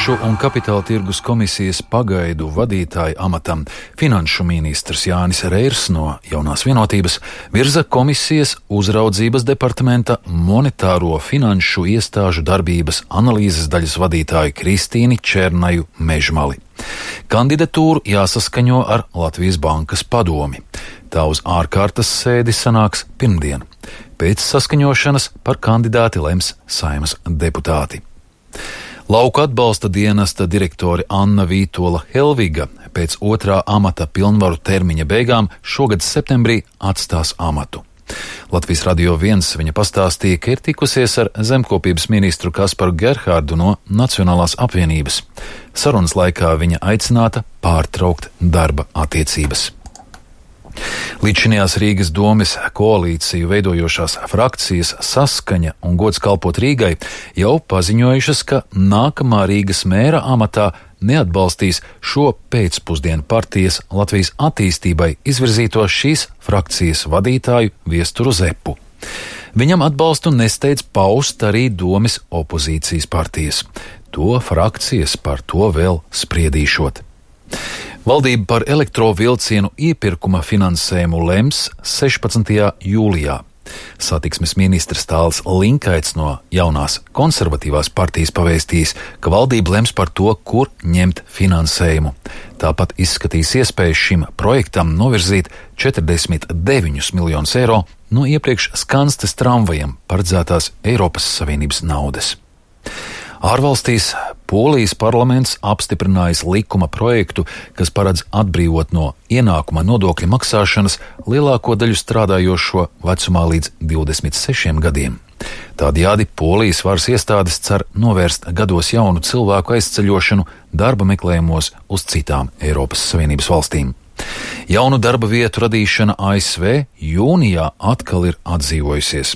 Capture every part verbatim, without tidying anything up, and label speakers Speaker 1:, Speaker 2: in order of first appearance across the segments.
Speaker 1: Finanšu un kapitāla tirgus komisijas pagaidu vadītāja amatam finanšu ministrs Jānis Reirs no Jaunās Vienotības virza komisijas uzraudzības departamenta monetāro finanšu iestāžu darbības analīzes daļas vadītāju Kristīni Černaju Mežmali. Kandidatūru jāsaskaņo ar Latvijas Bankas padomi. Tā uz ārkārtas sēdi sanāks pirmdien. Pēc saskaņošanas par kandidāti lems Saeimas deputāti. Lauku atbalsta dienesta direktore Anna Vītola Helviga pēc otrā amata pilnvaru termiņa beigām šogad septembrī atstās amatu. Latvijas Radio viens viņa pastāstīja, ka ir tikusies ar zemkopības ministru Kasparu Gerhārdu no Nacionālās apvienības. Sarunas laikā viņa aicināta pārtraukt darba attiecības. Līdzinājās Rīgas domes koalīciju veidojošās frakcijas Saskaņa un Gods kalpot Rīgai jau paziņojušas, ka nākamā Rīgas mēra amatā neatbalstīs šo pēcpusdienu partijas Latvijas attīstībai izvirzīto šīs frakcijas vadītāju Viesturu Zepu. Viņam atbalstu nesteidz paust arī domes opozīcijas partijas. To frakcijas par to vēl spriedīšot. Valdība par elektrovilcienu iepirkuma finansējumu lems sešpadsmitajā jūlijā. Satiksmes ministrs Tāls Linkaits no Jaunās konservatīvās partijas pavēstījis, ka valdība lems par to, kur ņemt finansējumu. Tāpat izskatīs iespējas šim projektam novirzīt četrdesmit deviņus miljonus eiro no iepriekš Skanstes tramvajiem paredzētās Eiropas Savienības naudas. Ārvalstīs Polijas parlaments apstiprinājis likuma projektu, kas paredz atbrīvot no ienākuma nodokļa maksāšanas lielāko daļu strādājošo vecumā līdz divdesmit sešiem gadiem. Tādējādi Polijas varas iestādes cer novērst gados jaunu cilvēku aizceļošanu darba meklējumos uz citām Eiropas Savienības valstīm. Jaunu darba vietu radīšana A S V jūnijā atkal ir atdzīvojusies.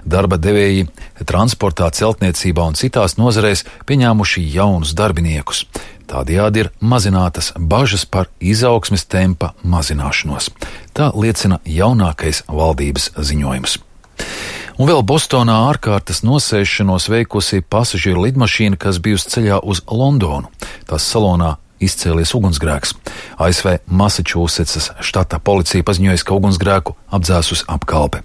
Speaker 1: Darba devēji transportā, celtniecībā un citās nozarēs pieņēmuši jaunus darbiniekus. Tādējādi ir mazinātas bažas par izaugsmes tempa mazināšanos. Tā liecina jaunākais valdības ziņojums. Un vēl Bostonā ārkārtas nosēšanos veikusi pasažieru lidmašīna, kas bijusi ceļā uz Londonu. Tās salonā izcēlies ugunsgrēks. A S V Masačūsetsas štata policija paziņoja, ka ugunsgrēku apdzēsus apkalpe.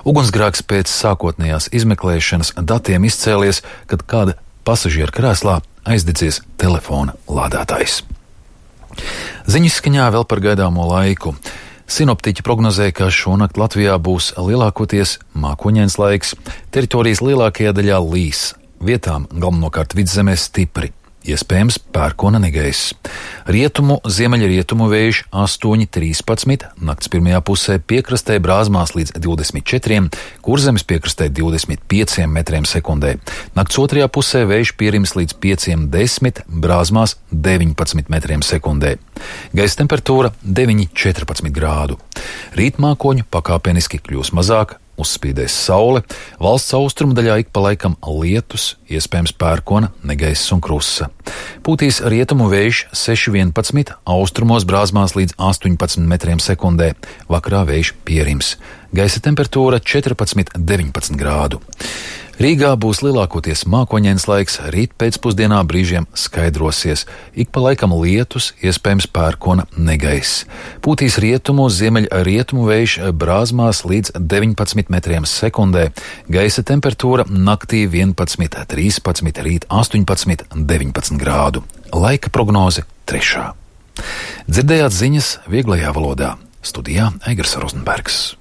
Speaker 1: Ugunsgrēks pēc sākotnējās izmeklēšanas datiem izcēlies, kad kāda pasažiera krēslā aizdedzies telefona lādētājs. Ziņas skaņā vēl par gaidāmo laiku. Sinoptiķi prognozē, ka šonakt Latvijā būs lielākoties mākoņains laiks, teritorijas lielākajā daļā līs, vietām galvenokārt vidzemē stipri. Iespējams pērkona negaiss. Rietumu, ziemeļrietumu vējš astoņi trīspadsmit, nakts pirmajā pusē piekrastē brāzmās līdz divdesmit četriem, Kurzemes piekrastē divdesmit pieciem metriem sekundē. Nakts otrajā pusē vējš pierims līdz pieciem desmit, brāzmās deviņpadsmit metriem sekundē. Gaisa temperatūra deviņi četrpadsmit grādu. Rīt mākoņu pakāpeniski kļūs mazāk, uzspīdēs saule, valsts austrumu daļā ik pa laikam lietus, iespējams pērkona, negaiss un krusa. Pūtīs rietumu vējš seši vienpadsmit, austrumos brāzmās līdz astoņpadsmit metriem sekundē, vakarā vējš pierims. Gaisa temperatūra četrpadsmit deviņpadsmit grādu. Rīgā būs lielākoties mākoņains laiks, rīt pēcpusdienā brīžiem skaidrosies, ik pa laikam lietus, iespējams pērkona negaiss. Pūtīs rietumu, ziemeļrietumu vējš brāzmās līdz deviņpadsmit metriem sekundē, gaisa temperatūra naktī vienpadsmit trīspadsmit, rīt astoņpadsmit deviņpadsmit grādu. Laika prognoze trešā. Dzirdējāt ziņas vieglajā valodā. Studijā Eigars Rozenbergs.